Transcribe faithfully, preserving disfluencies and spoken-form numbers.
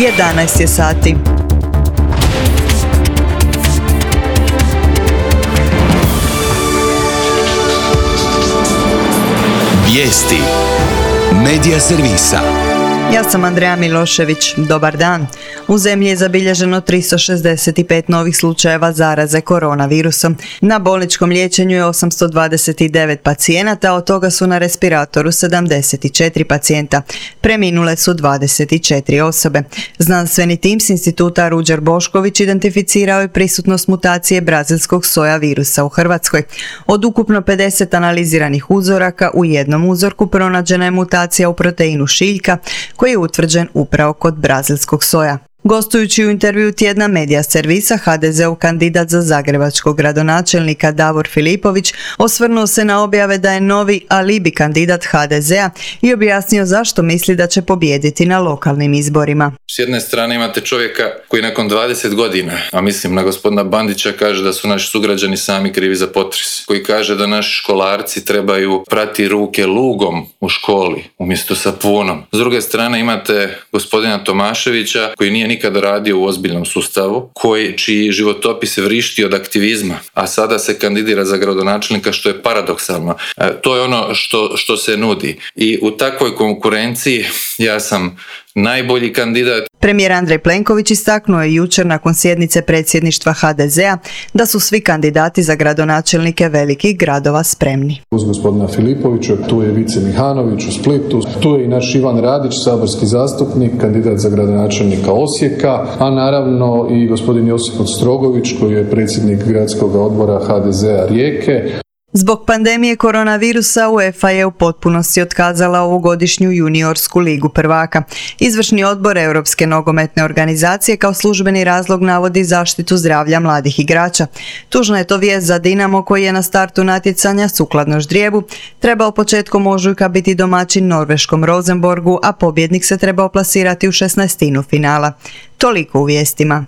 jedanaest je sati. Vijesti Medija servisa. Ja sam Andreja Milošević. Dobar dan. U zemlji je zabilježeno tristo šezdeset pet novih slučajeva zaraze koronavirusom. Na bolničkom liječenju je osamsto dvadeset devet pacijenata, od toga su na respiratoru sedamdeset četiri pacijenta. Preminule su dvadeset četiri osobe. Znanstveni tim s instituta Ruđer Bošković identificirao je prisutnost mutacije brazilskog soja virusa u Hrvatskoj. Od ukupno pedeset analiziranih uzoraka u jednom uzorku pronađena je mutacija u proteinu šiljka, koji je utvrđen upravo kod brazilskog soja. Gostujući u intervju tjedna Medija servisa, ha de zeov kandidat za zagrebačkog gradonačelnika Davor Filipović osvrnuo se na objave da je novi alibi kandidat ha de zea i objasnio zašto misli da će pobijediti na lokalnim izborima. S jedne strane imate čovjeka koji nakon dvadeset godina, a mislim na gospodina Bandića, kaže da su naši sugrađani sami krivi za potres, koji kaže da naši školarci trebaju prati ruke lugom u školi umjesto sapunom. S druge strane imate gospodina Tomaševića koji nije nikada radio u ozbiljnom sustavu, koji, čiji životopis se vrišti od aktivizma, a sada se kandidira za gradonačelnika, što je paradoksalno. E, to je ono što, što se nudi. I u takvoj konkurenciji ja sam najbolji kandidat. Premijer Andrej Plenković istaknuo je jučer nakon sjednice predsjedništva ha de zea da su svi kandidati za gradonačelnike velikih gradova spremni. Uz gospodina Filipovića, tu je Vice Mihanović u Splitu, tu je i naš Ivan Radić, saborski zastupnik, kandidat za gradonačelnika Osijeka, a naravno i gospodin Josip Ostrogović koji je predsjednik gradskog odbora ha de zea Rijeke. Zbog pandemije koronavirusa UEFA je u potpunosti otkazala ovogodišnju juniorsku ligu prvaka. Izvršni odbor Europske nogometne organizacije kao službeni razlog navodi zaštitu zdravlja mladih igrača. Tužna je to vijest za Dinamo koji je na startu natjecanja sukladno ždrijebu trebao početkom ožujka biti domaćin norveškom Rosenborgu, a pobjednik se trebao plasirati u šesnaestinu finala. Toliko u vijestima.